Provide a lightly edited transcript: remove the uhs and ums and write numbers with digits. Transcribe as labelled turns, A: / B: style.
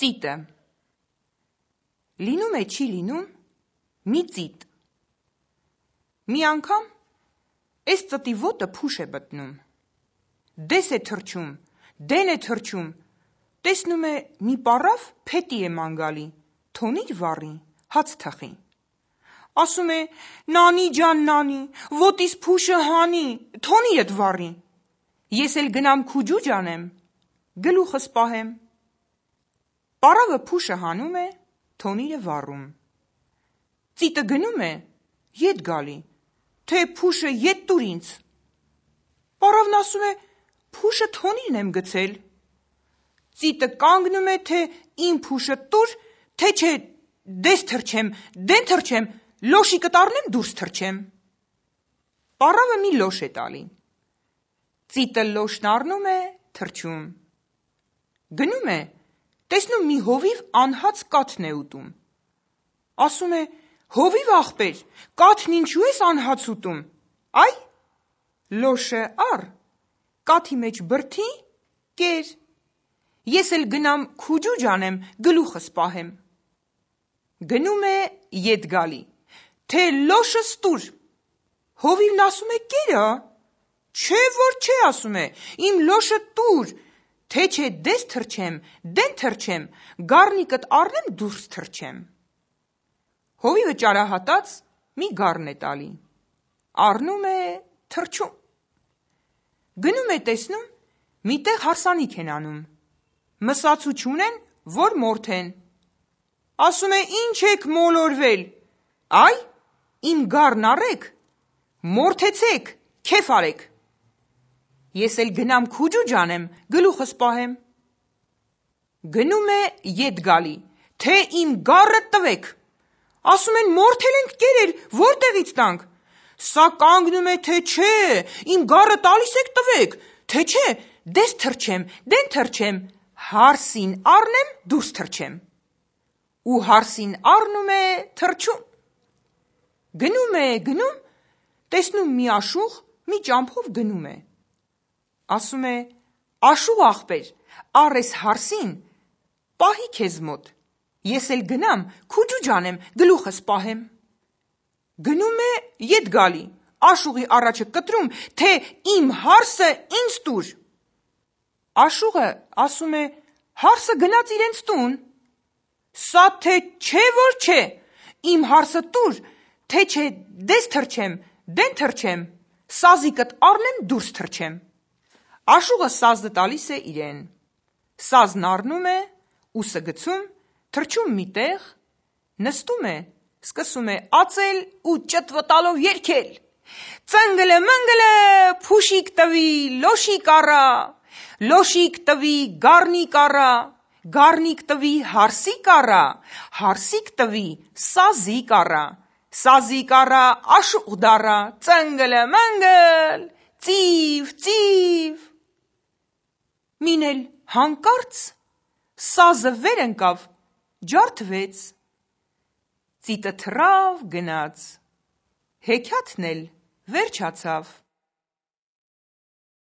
A: Ծիտը Լինում է չի լինում մի ծիտ Մի անգամ էս ծտի ոտը փուշ է բտնում Դես է թրջում, դեն է թրջում Տեսնում է մի պառավ փետի է մանգալի Թոնիր վառի, հաց թխի Ասում է նանի ջան նանի, ոտիս փուշը հանի, թոնիրդ վառի Ես էլ գնամ քուջուջ անեմ, գլուխս պահեմ Պառավը փուշը հանում է, թոնիրը վառում Ծիտը գնում է, ետ գալի, թե փուշը ետ տուր ինձ Պառավն ասում է, փուշը թոնիրն եմ գցել Ծիտը կանգնում է, թե իմ փուշը տուր, թե չէ դես թրջեմ, դեն թրջեմ, լոշիկդ առնեմ դուրս թրջեմ Պառավը մի լոշ է տալի Ծիտը լոշն առնում է, թրջում Գնում է, տեսնում մի հովիվ անհաց կաթն է ուտում Ասում է, հովիվ աղբեր, կաթն ինչու ես անհաց ուտում Այ, լոշը առ, կաթի մեջ բրդի, կեր Ես էլ գնամ քուջուջ անեմ, գլուխս պահեմ Գնում է, ետ գալի, թե լոշս տուր Հովիվն ասում է, կերա Չէ որ չէ ասում է, իմ լոշը տուր Թե չէ դես թրջեմ, դեն թրջեմ, գառնիկդ առնեմ դուրս թրջեմ Հովիվը ճարահատած մի գառն է տալի Առնում է, թրջում Գնում է տեսնում, միտեղ հարսանիք են անում Մսացու չունեն, որ մորթեն Ասում է ինչ եք մոլորվել Այ, իմ գառն առեք, մորթեցեք, քեֆ արեք Ես էլ գնամ քուջուջ անեմ, գլուխս պահեմ Գնում է, ետ գալի, թե իմ գառը տվեք Ասում են մորթել ենք կերել, որտեղից տանք Սա կանգնում է, թե չէ, իմ գառը տալիս եք տվեք Թե չէ, դես թրջեմ, դեն թրջեմ, հարսին առնեմ, դուրս թրջեմ Ու հարսին առնում է, թրջում Գնում, տեսնում մի աշուղ, մի ճամփով գնում է Ասում է, աշուղ աղբեր, առ էս հարսին, պահի քեզ մոտ Ես էլ գնամ, քուջուջ անեմ, գլուխս պահեմ Գնում է, ետ գալի, աշուղի առաջը կտրում, թե իմ հարսը ինձ տուր Աշուղը ասում է, հարսը գնաց իրենց տուն Սա թե չէ որ չէ, իմ հարսը տուր, թե չէ դես թրջեմ, դեն թրջեմ, սազիկդ առնեմ դուրս թրջեմ Աշուղը սազը տալիս է իրեն Սազն առնում է, ուսը գցում, թրջում մի տեղ, նստում է, սկսում է ածել ու ճտվտալով երգել Ծնգլը մնգլը փուշիկ տվի լոշիկ առա Լոշիկ տվի գառնիկ առա Գառնիկ տվի հարսիկ առա Հարսիկ տվի սազիկ առա Սազիկ առա աշուղ դառա Ծնգլը մնգլ ծիվ ծիվ Մին էլ հանկարծ սազը վեր ընկավ, ջարդվեց Ծիտը թռավ գնաց Հեքիաթն էլ վերջացավ